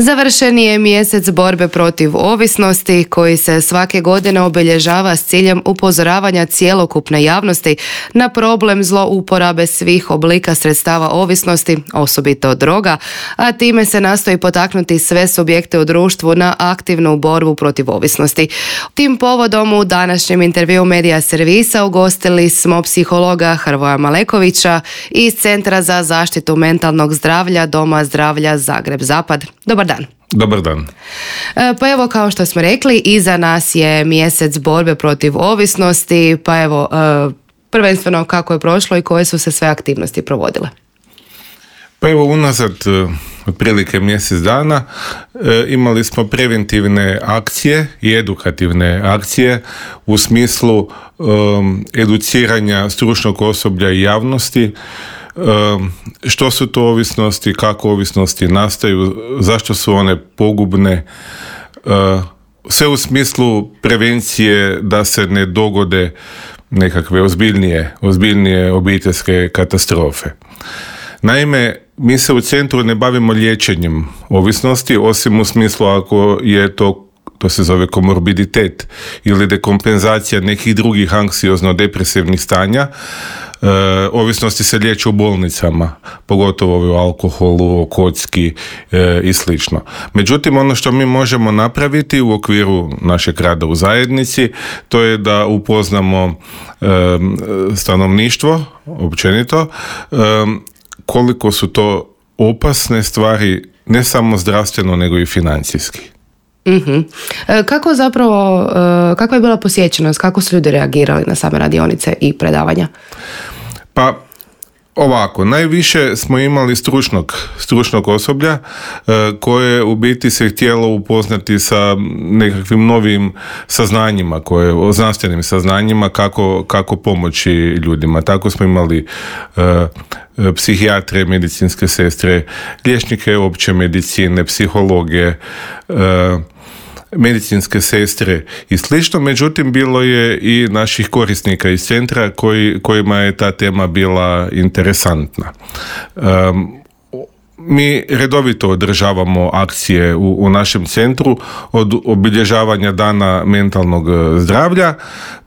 Završen je mjesec borbe protiv ovisnosti koji se svake godine obilježava s ciljem upozoravanja cjelokupne javnosti na problem zlouporabe svih oblika sredstava ovisnosti, osobito droga, a time se nastoji potaknuti sve subjekte u društvu na aktivnu borbu protiv ovisnosti. Tim povodom u današnjem intervjuu Medija servisa ugostili smo psihologa Hrvoja Malekovića iz Centra za zaštitu mentalnog zdravlja Doma zdravlja Zagreb Zapad. Dobar dan. Dobar dan. Pa evo, kao što smo rekli, iza nas je mjesec borbe protiv ovisnosti, pa evo, prvenstveno kako je prošlo i koje su se sve aktivnosti provodile? Pa evo, unazad otprilike mjesec dana imali smo preventivne akcije i edukativne akcije u smislu educiranja stručnog osoblja i javnosti. Što su to ovisnosti, kako ovisnosti nastaju, zašto su one pogubne, sve u smislu prevencije da se ne dogode nekakve ozbiljnije obiteljske katastrofe. Naime, mi se u centru ne bavimo liječenjem ovisnosti, osim u smislu ako je to se zove komorbiditet ili dekompenzacija nekih drugih anksiozno-depresivnih stanja. Ovisnosti se liječe u bolnicama, pogotovo o alkoholu, o kocki i slično. Međutim, ono što mi možemo napraviti u okviru našeg rada u zajednici, to je da upoznamo stanovništvo, općenito, koliko su to opasne stvari, ne samo zdravstveno, nego i financijski. Mm-hmm. Kakva je bila posjećenost, kako su ljudi reagirali na same radionice i predavanja? Pa ovako, najviše smo imali stručnog osoblja koje u biti se htjelo upoznati sa nekakvim novim saznanjima, znanstvenim saznanjima kako pomoći ljudima. Tako smo imali psihijatre, medicinske sestre, liječnike opće medicine, psihologe, medicinske sestre i slično, međutim bilo je i naših korisnika iz centra kojima je ta tema bila interesantna. Mi redovito održavamo akcije u našem centru od obilježavanja dana mentalnog zdravlja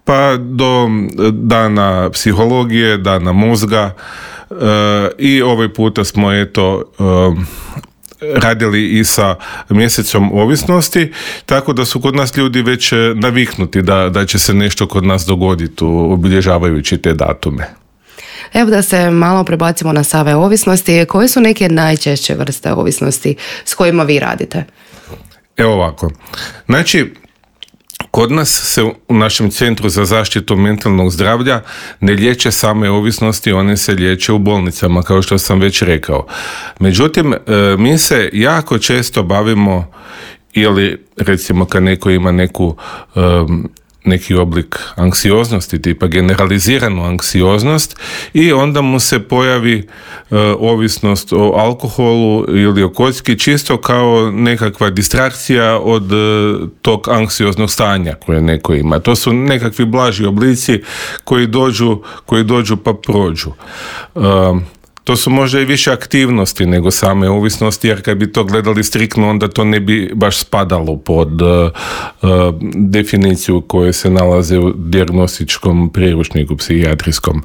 pa do dana psihologije, dana mozga i ovaj puta smo radili i sa mjesecom ovisnosti, tako da su kod nas ljudi već naviknuti da će se nešto kod nas dogoditi obilježavajući te datume. Evo da se malo prebacimo na same ovisnosti. Koje su neke najčešće vrste ovisnosti s kojima vi radite? Evo ovako. Znači, kod nas se u našem Centru za zaštitu mentalnog zdravlja ne liječe same ovisnosti, one se liječe u bolnicama, kao što sam već rekao. Međutim, mi se jako često bavimo, ili recimo kad neko ima neki oblik anksioznosti, tipa generaliziranu anksioznost, i onda mu se pojavi ovisnost o alkoholu ili o kocki čisto kao nekakva distrakcija od tog anksioznog stanja koje neko ima. To su nekakvi blaži oblici koji dođu pa prođu. To su možda i više aktivnosti nego same ovisnosti, jer kad bi to gledali striktno, onda to ne bi baš spadalo pod definiciju koje se nalaze u dijagnostičkom priručniku psihijatrijskom.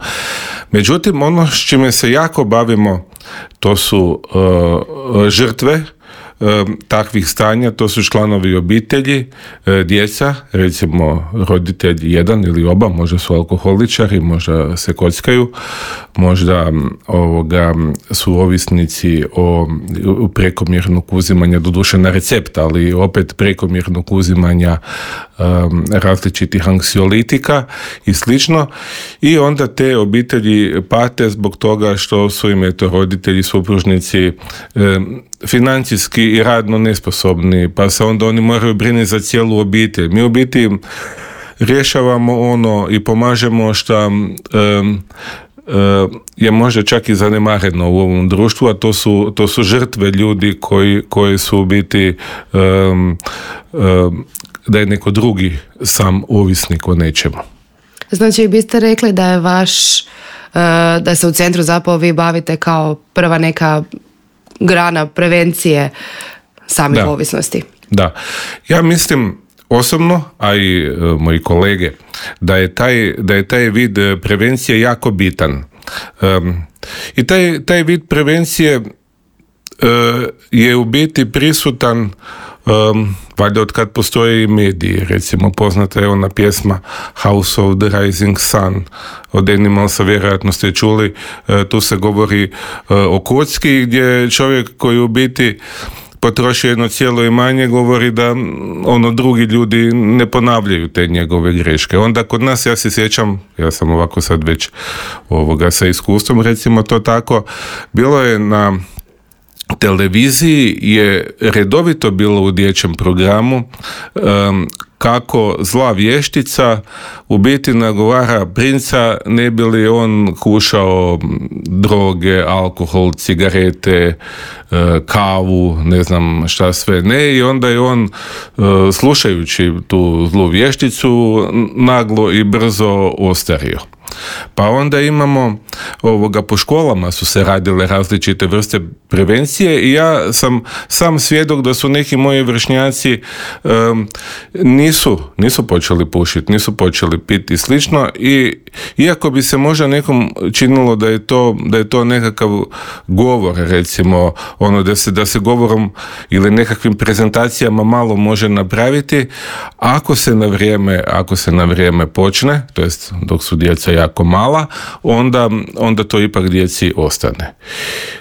Međutim, ono s čime se jako bavimo, to su žrtve takvih stanja, to su članovi obitelji, djeca, recimo roditelj jedan ili oba, možda su alkoholičari, možda se kockaju, možda su ovisnici o prekomjernog uzimanja, doduše na recept, ali opet prekomjernog uzimanja različitih anksiolitika i slično, i onda te obitelji pate zbog toga što su im roditelji, supružnici financijski i radno nesposobni, pa se onda oni moraju brinuti za cijelu obitelj. Mi u biti rješavamo i pomažemo što je možda čak i zanemareno u ovom društvu, a to su žrtve ljudi koji su u biti da je neko drugi sam ovisnik o nečemu. Znači, biste rekli da je da se u centru zapravo vi bavite kao prva neka grana prevencije samih ovisnosti. Da, ja mislim osobno, a i moji kolege, da je taj vid prevencije jako bitan. I taj vid prevencije je u biti prisutan valjda od kad postoje i mediji. Recimo poznata je ona pjesma House of the Rising Sun od Animalsa, vjerojatno ste čuli. Tu se govori o kocki gdje čovjek koji u biti potroši jedno cijelo imanje govori da drugi ljudi ne ponavljaju te njegove greške. Onda kod nas, ja se sjećam, ja sam ovako sad već sa iskustvom, recimo to tako, bilo je na televiziji je redovito bilo u dječjem programu kako zla vještica u biti nagovara princa ne bi li on kušao droge, alkohol, cigarete, kavu, ne znam šta sve ne, i onda je on slušajući tu zlu vješticu naglo i brzo ostario. Pa onda imamo po školama su se radile različite vrste prevencije i ja sam svjedok da su neki moji vršnjaci nisu počeli pušiti, nisu počeli piti i slično, i iako bi se možda nekom činilo da je to nekakav govor, recimo da se govorom ili nekakvim prezentacijama malo može napraviti, ako se na vrijeme počne, to jest dok su djeca jako mala, onda to ipak djeci ostane.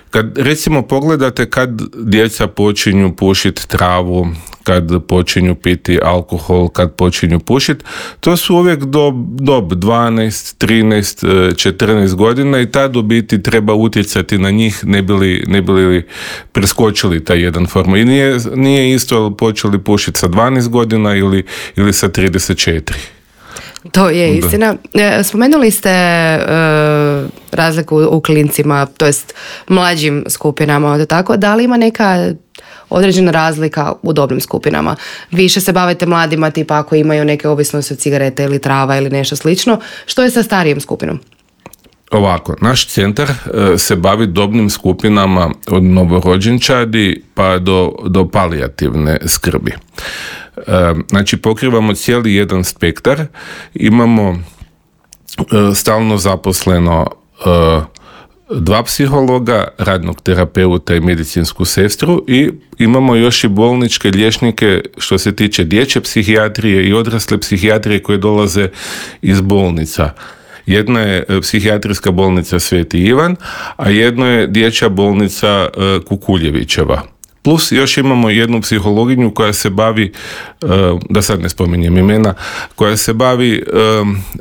Kad recimo pogledate kad djeca počinju pušiti travu, kad počinju piti alkohol, kad počinju pušiti, to su uvijek dob 12, 13, 14 godina i tad u biti treba utjecati na njih ne bi li preskočili taj jedan formu. I nije isto počeli pušiti sa 12 godina ili sa 34. To je istina. Spomenuli ste razliku u klincima, to jest mlađim skupinama, tako da li ima neka određena razlika u dobnim skupinama? Više se bavite mladima, tipa ako imaju neke ovisnosti od cigarete ili trava ili nešto slično. Što je sa starijim skupinom? Ovako, naš centar se bavi dobnim skupinama od novorođenčadi pa do palijativne skrbi. Znači pokrivamo cijeli jedan spektar, imamo stalno zaposleno 2 psihologa, radnog terapeuta i medicinsku sestru, i imamo još i bolničke liječnike što se tiče dječje psihijatrije i odrasle psihijatrije koje dolaze iz bolnica. Jedna je psihijatrijska bolnica Sveti Ivan, a jedno je dječja bolnica Kukuljevićeva. Plus još imamo jednu psihologinju koja se bavi, da sad ne spominjem imena, koja se bavi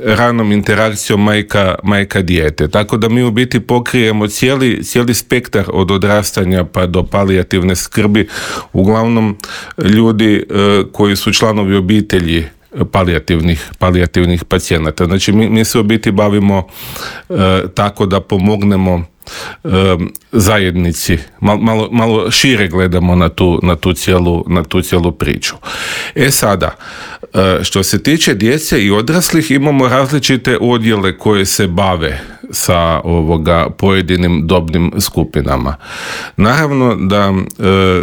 ranom interakcijom majka dijete. Tako da mi u biti pokrijemo cijeli spektar od odrastanja pa do palijativne skrbi, uglavnom ljudi koji su članovi obitelji palijativnih pacijenata. Znači mi se u biti bavimo tako da pomognemo zajednici, malo šire gledamo na tu cijelu priču. Sada, što se tiče djece i odraslih, imamo različite odjele koje se bave sa pojedinim dobnim skupinama. Naravno da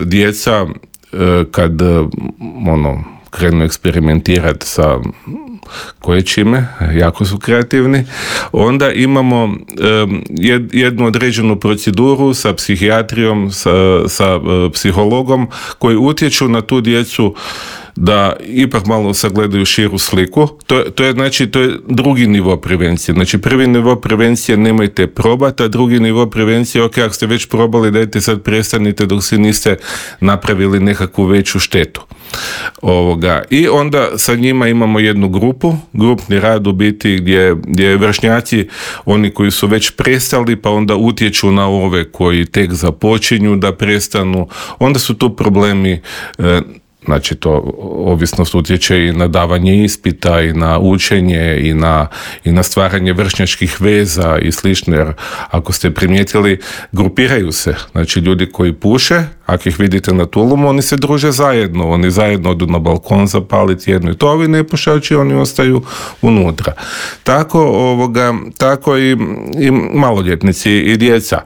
djeca kad krenu eksperimentirati sa koje čime, jako su kreativni, onda imamo jednu određenu proceduru sa psihijatrijom, sa psihologom koji utječu na tu djecu da ipak malo sagledaju širu sliku. To je drugi nivo prevencije. Znači prvi nivo prevencije nemojte probati, a drugi nivo prevencije, ok, ako ste već probali, dajte sad prestanite dok se niste napravili nekakvu veću štetu. I onda sa njima imamo jednu grupni rad u biti gdje vršnjaci, oni koji su već prestali, pa onda utječu na ove koji tek započinju da prestanu. Onda su tu problemi, znači to ovisnost utječe i na davanje ispita i na učenje i na stvaranje vršnjačkih veza i slično, jer ako ste primijetili, grupiraju se, znači ljudi koji puše, ako ih vidite na tulumu, oni se druže zajedno, oni zajedno odu na balkon zapaliti jedno i to, ovi nepušači, oni ostaju unutra. Tako i maloljetnici i djeca.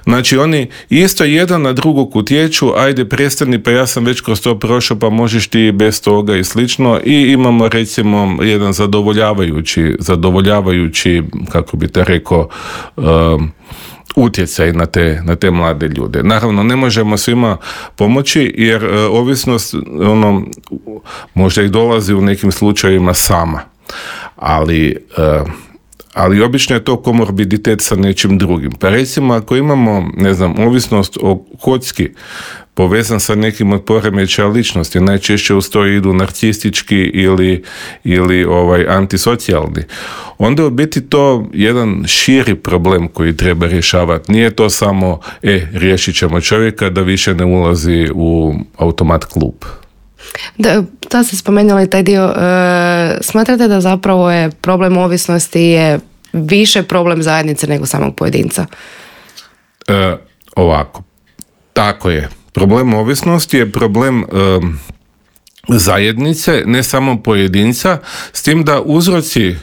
Znači, oni isto jedan na drugog utječu, ajde prestani, pa ja sam već kroz to prošao, pa možeš ti bez toga i slično, i imamo recimo jedan zadovoljavajući, kako bi te rekao, utjecaj na te mlade ljude. Naravno, ne možemo svima pomoći, jer ovisnost možda i dolazi u nekim slučajevima sama. Ali obično je to komorbiditet sa nečim drugim. Pa recimo, ako imamo, ovisnost o kocki povezan sa nekim od poremećaja ličnosti, najčešće uz to idu narcistički ili antisocijalni, onda je u biti to jedan širi problem koji treba rješavati. Nije to samo, riješit ćemo čovjeka da više ne ulazi u automat klub. Da ste spomenuli taj dio. Smatrate da zapravo je problem ovisnosti je više problem zajednice nego samog pojedinca? Ovako. Tako je. Problem ovisnosti je problem zajednice, ne samo pojedinca, s tim da uzroci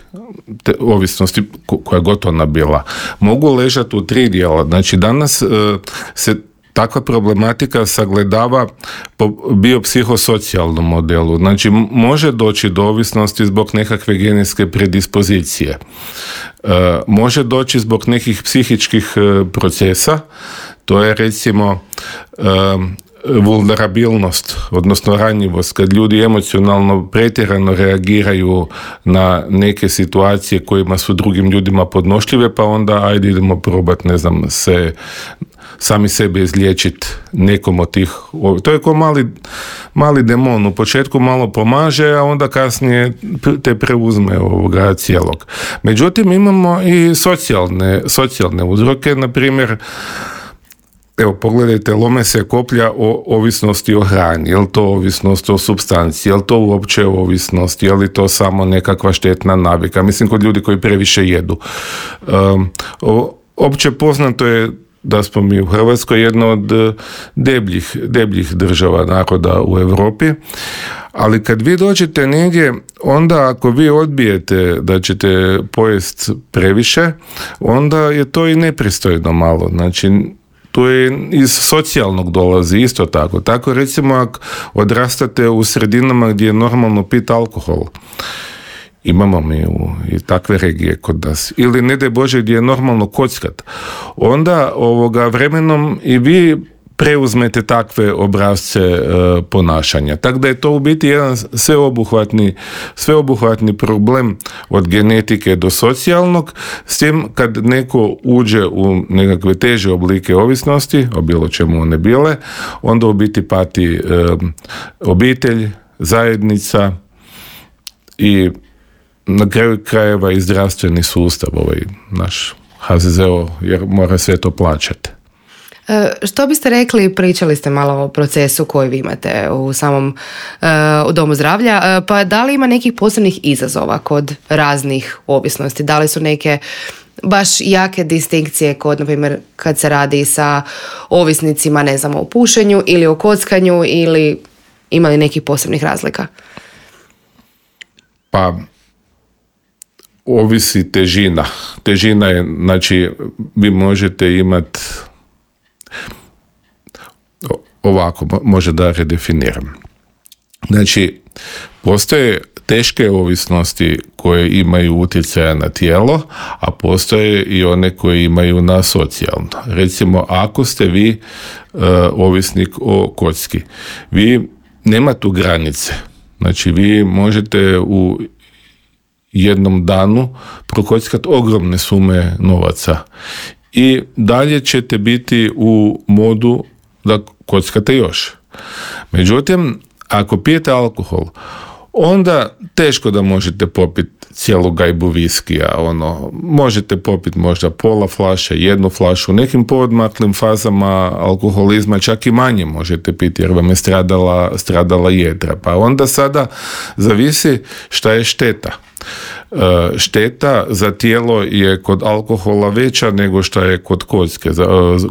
te ovisnosti, koja je gotovo bila, mogu ležati u 3 dijela. Znači, danas se takva problematika sagledava po biopsihosocijalnom modelu. Znači, može doći do ovisnosti zbog nekakve genetske predispozicije. Može doći zbog nekih psihičkih procesa, to je recimo vulnerabilnost, odnosno ranjivost, kad ljudi emocionalno pretjerano reagiraju na neke situacije kojima su drugim ljudima podnošljive, pa onda ajde idemo probati, sami sebe izliječiti nekom od tih. To je kao mali demon, u početku malo pomaže, a onda kasnije te preuzme cijelog. Međutim, imamo i socijalne uzroke, na primjer, evo, pogledajte, lome se koplja o ovisnosti o hrani. Je li to ovisnost o supstanciji? Je li to uopće ovisnost? Je li to samo nekakva štetna navika? Mislim, kod ljudi koji previše jedu. Opće poznato je da smo mi u Hrvatskoj jedna od debljih država naroda u Europi, ali kad vi dođete negdje, onda ako vi odbijete da ćete pojest previše, onda je to i nepristojno malo. Znači, to je iz socijalnog dolazi isto tako. Tako recimo, ako odrastate u sredinama gdje je normalno piti alkohol, imamo mi i takve regije kod nas, ili ne daj Bože gdje je normalno kockat, onda vremenom i vi preuzmete takve obrazce ponašanja. Tako da je to u biti jedan sveobuhvatni problem od genetike do socijalnog, s tim kad neko uđe u nekakve teže oblike ovisnosti, o bilo čemu one bile, onda u biti pati obitelj, zajednica i na kraju krajeva i zdravstveni sustav, naš HZZO, jer mora sve to plaćati. Što biste rekli, pričali ste malo o procesu koji vi imate u samom u domu zdravlja, pa da li ima nekih posebnih izazova kod raznih ovisnosti? Da li su neke baš jake distinkcije kod, na primjer, kad se radi sa ovisnicima, o pušenju ili o kockanju, ili ima li nekih posebnih razlika? Pa, ovisi težina. Težina je, znači, vi možete imati ovako, može da redefiniram. Znači, postoje teške ovisnosti koje imaju utjecaja na tijelo, a postoje i one koje imaju na socijalno. Recimo, ako ste vi ovisnik o kocki, vi nema tu granice. Znači, vi možete u jednom danu prokockati ogromne sume novaca i dalje ćete biti u modu da kockate još. Međutim, ako pijete alkohol, onda teško da možete popiti cijelu gajbu viskija, možete popiti možda pola flaše, jednu flašu, u nekim poodmaklim fazama alkoholizma čak i manje možete piti jer vam je stradala jedra. Pa onda sada zavisi šta je šteta. Šteta za tijelo je kod alkohola veća nego što je kod kocke.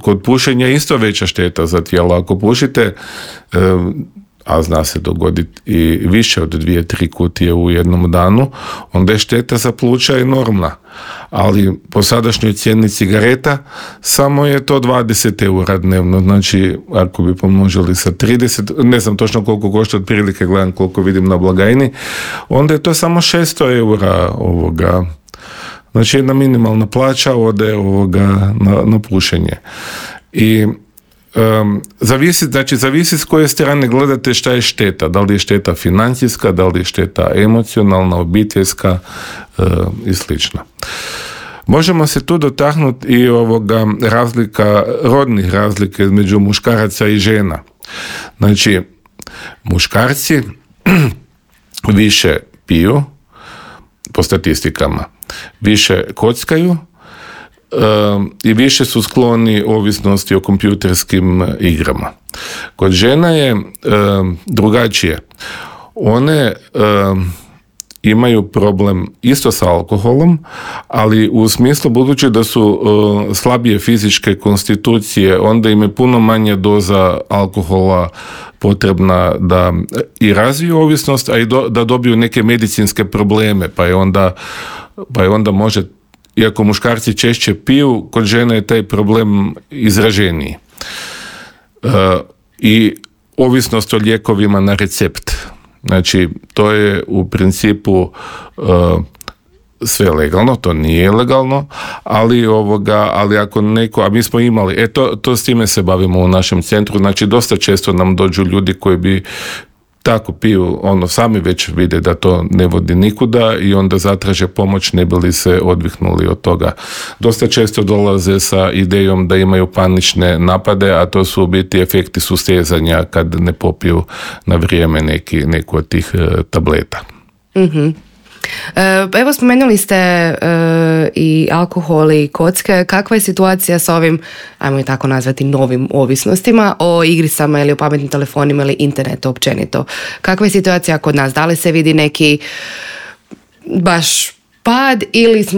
Kod pušenja je isto veća šteta za tijelo. Ako pušite, a zna se dogoditi i više od 2-3 kutije u jednom danu, onda je šteta za pluća enormna. Ali po sadašnjoj cijeni cigareta samo je to 20 eura dnevno. Znači, ako bi pomnožili sa 30, ne znam točno koliko košta, otprilike gledam koliko vidim na blagajni, onda je to samo 600 eura Znači, jedna minimalna plaća ode na pušenje. I zavisi s koje strane gledate šta je šteta. Da li je šteta financijska, da li je šteta emocionalna, obiteljska i slično. Možemo se tu dotaknuti i rodnih razlika između muškaraca i žena. Znači, muškarci više piju, po statistikama, više kockaju, i više su skloni ovisnosti o kompjuterskim igrama. Kod žena je drugačije. One imaju problem isto sa alkoholom, ali u smislu budući da su slabije fizičke konstitucije, onda im je puno manja doza alkohola potrebna da i razviju ovisnost, a i da dobiju neke medicinske probleme, pa je onda može, iako muškarci češće piju, kod žene je taj problem izraženiji. I ovisnost o lijekovima na recept. Znači, to je u principu sve legalno, to nije legalno, ali ako neko, a mi smo imali, to s time se bavimo u našem centru, znači dosta često nam dođu ljudi koji bi tako piju, sami već vide da to ne vodi nikuda i onda zatraže pomoć ne bi li se odvihnuli od toga. Dosta često dolaze sa idejom da imaju panične napade, a to su u biti efekti sustezanja kad ne popiju na vrijeme neku od tih tableta. Mhm. Evo, spomenuli ste i alkohol i kocke. Kakva je situacija sa ovim, ajmo i tako nazvati, novim ovisnostima o igricama ili o pametnim telefonima ili internetu općenito? Kakva je situacija kod nas? Da li se vidi neki baš pad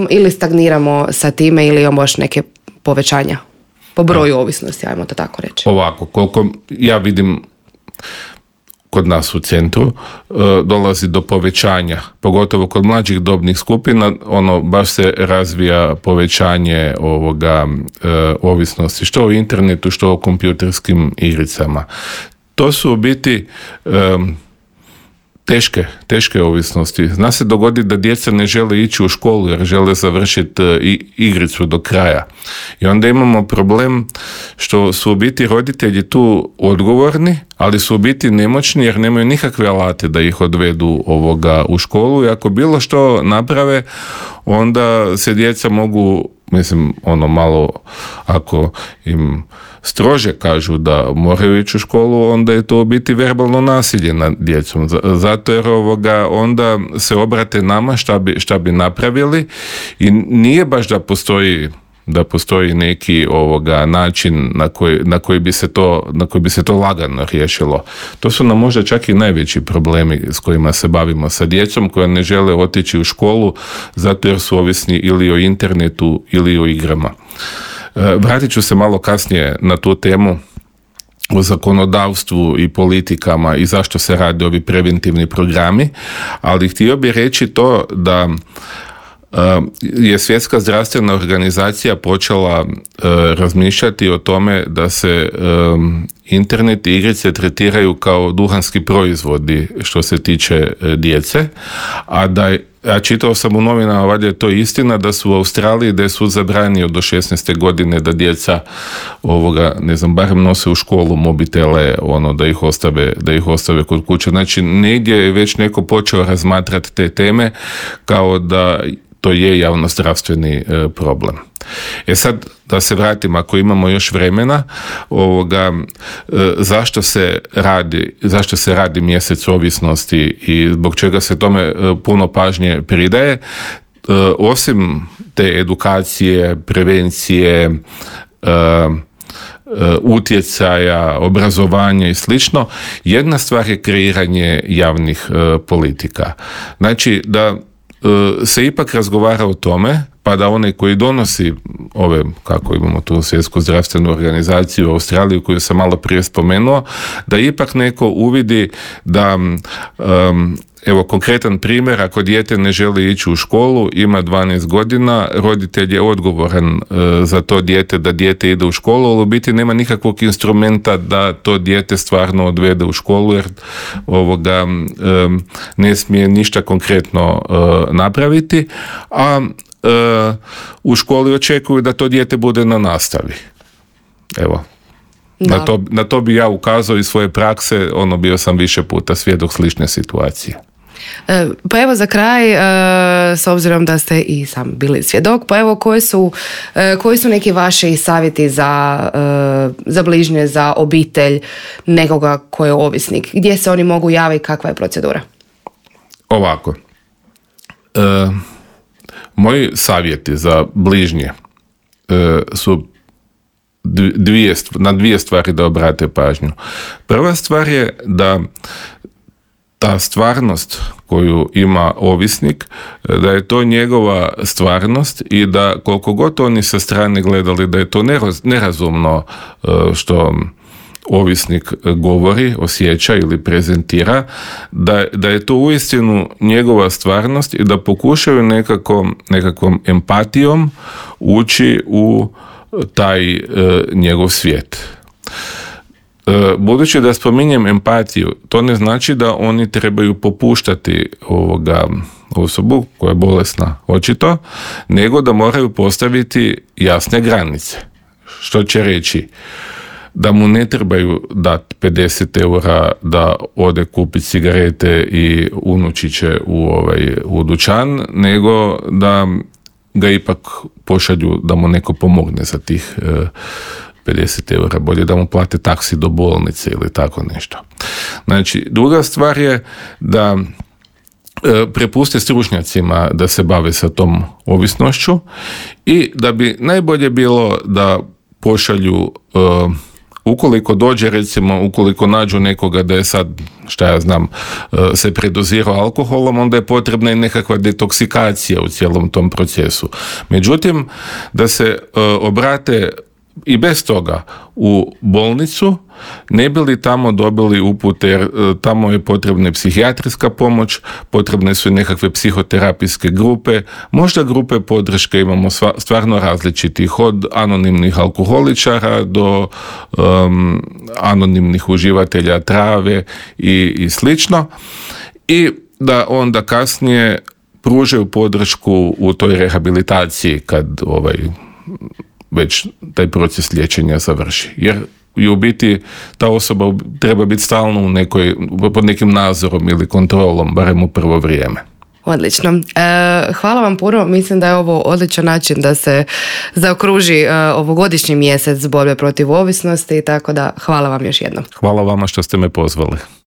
ili stagniramo sa time ili imamo baš neke povećanja po broju ovisnosti, ajmo to tako reći? Ovako, koliko ja vidim kod nas u centru, dolazi do povećanja, pogotovo kod mlađih dobnih skupina, baš se razvija povećanje ovisnosti, što o internetu, što o kompjuterskim igricama. To su u biti teške ovisnosti. Zna se dogoditi da djeca ne žele ići u školu jer žele završiti igricu do kraja. I onda imamo problem što su u biti roditelji tu odgovorni, ali su u biti nemoćni jer nemaju nikakve alate da ih odvedu u školu i ako bilo što naprave, onda se djeca mogu, malo, ako im strože kažu da moraju ići u školu, onda je to u biti verbalno nasilje nad djecom. Zato jer onda se obrate nama šta bi napravili i nije baš da postoji neki način na koji bi se to lagano riješilo. To su nam možda čak i najveći problemi s kojima se bavimo sa djecom koja ne žele otići u školu zato jer su ovisni ili o internetu ili o igrama. Vratit ću se malo kasnije na tu temu o zakonodavstvu i politikama i zašto se rade ovi preventivni programi, ali htio bih reći to da je Svjetska zdravstvena organizacija počela razmišljati o tome da se internet i igrice tretiraju kao duhanski proizvodi što se tiče djece, a čitao sam u novinama, valjda je to istina, da su u Australiji, da je sud zabranio do 16. godine da djeca barem nose u školu mobitele, da ih ostave kod kuće. Znači, negdje je već neko počeo razmatrati te teme kao da to je javnozdravstveni problem. Sad, da se vratim, ako imamo još vremena, zašto se radi mjesec ovisnosti i zbog čega se tome puno pažnje pridaje, osim te edukacije, prevencije, utjecaja, obrazovanja i slično, jedna stvar je kreiranje javnih politika. Znači, da se ipak razgovara o tome, pa da onaj koji donosi ove, kako imamo tu Svjetsku zdravstvenu organizaciju u Australiji koju sam malo prije spomenuo, da ipak neko uvidi da evo konkretan primjer, ako dijete ne želi ići u školu, ima 12 godina, roditelj je odgovoran za to dijete, da dijete ide u školu, ali u biti nema nikakvog instrumenta da to dijete stvarno odvede u školu, jer ne smije ništa konkretno napraviti, a u školi očekuju da to dijete bude na nastavi. Evo. Na to bi ja ukazao iz svoje prakse, bio sam više puta svjedok slične situacije. Pa evo za kraj, s obzirom da ste i sam bili svjedok, pa evo koji su neki vaši savjeti za bližnje, za obitelj nekoga ko je ovisnik? Gdje se oni mogu javiti, kakva je procedura? Ovako, moji savjeti za bližnje su na dvije stvari da obrate pažnju. Prva stvar je da ta stvarnost koju ima ovisnik, da je to njegova stvarnost i da koliko god oni sa strane gledali da je to nerazumno što ovisnik govori, osjeća ili prezentira, da je to uistinu njegova stvarnost i da pokušaju nekakvom empatijom ući u taj njegov svijet. Budući da spominjem empatiju, to ne znači da oni trebaju popuštati osobu koja je bolesna, očito, nego da moraju postaviti jasne granice. Što će reći? Da mu ne trebaju dati 50 eura da ode kupiti cigarete i unučiće u dućan, nego da ga ipak pošalju da mu neko pomogne za tih 50 eura, bolje da mu plate taksi do bolnice ili tako nešto. Znači, druga stvar je da prepuste stručnjacima da se bave sa tom ovisnošću i da bi najbolje bilo da pošalju, ukoliko nađu nekoga da je sad, se predozirao alkoholom, onda je potrebna i nekakva detoksikacija u cijelom tom procesu. Međutim, da se obrate i bez toga u bolnicu, ne bi li tamo dobili upute, jer tamo je potrebna psihijatrijska pomoć, potrebne su i nekakve psihoterapijske grupe, možda grupe podrške imamo stvarno različitih, od anonimnih alkoholičara do anonimnih uživatelja trave i slično, i da onda kasnije pružaju podršku u toj rehabilitaciji kad već taj proces liječenja završi. Jer i u biti ta osoba treba biti stalno pod nekim nadzorom ili kontrolom, barem u prvo vrijeme. Odlično. Hvala vam puno. Mislim da je ovo odličan način da se zaokruži ovogodišnji mjesec borbe protiv ovisnosti, tako da hvala vam još jednom. Hvala vama što ste me pozvali.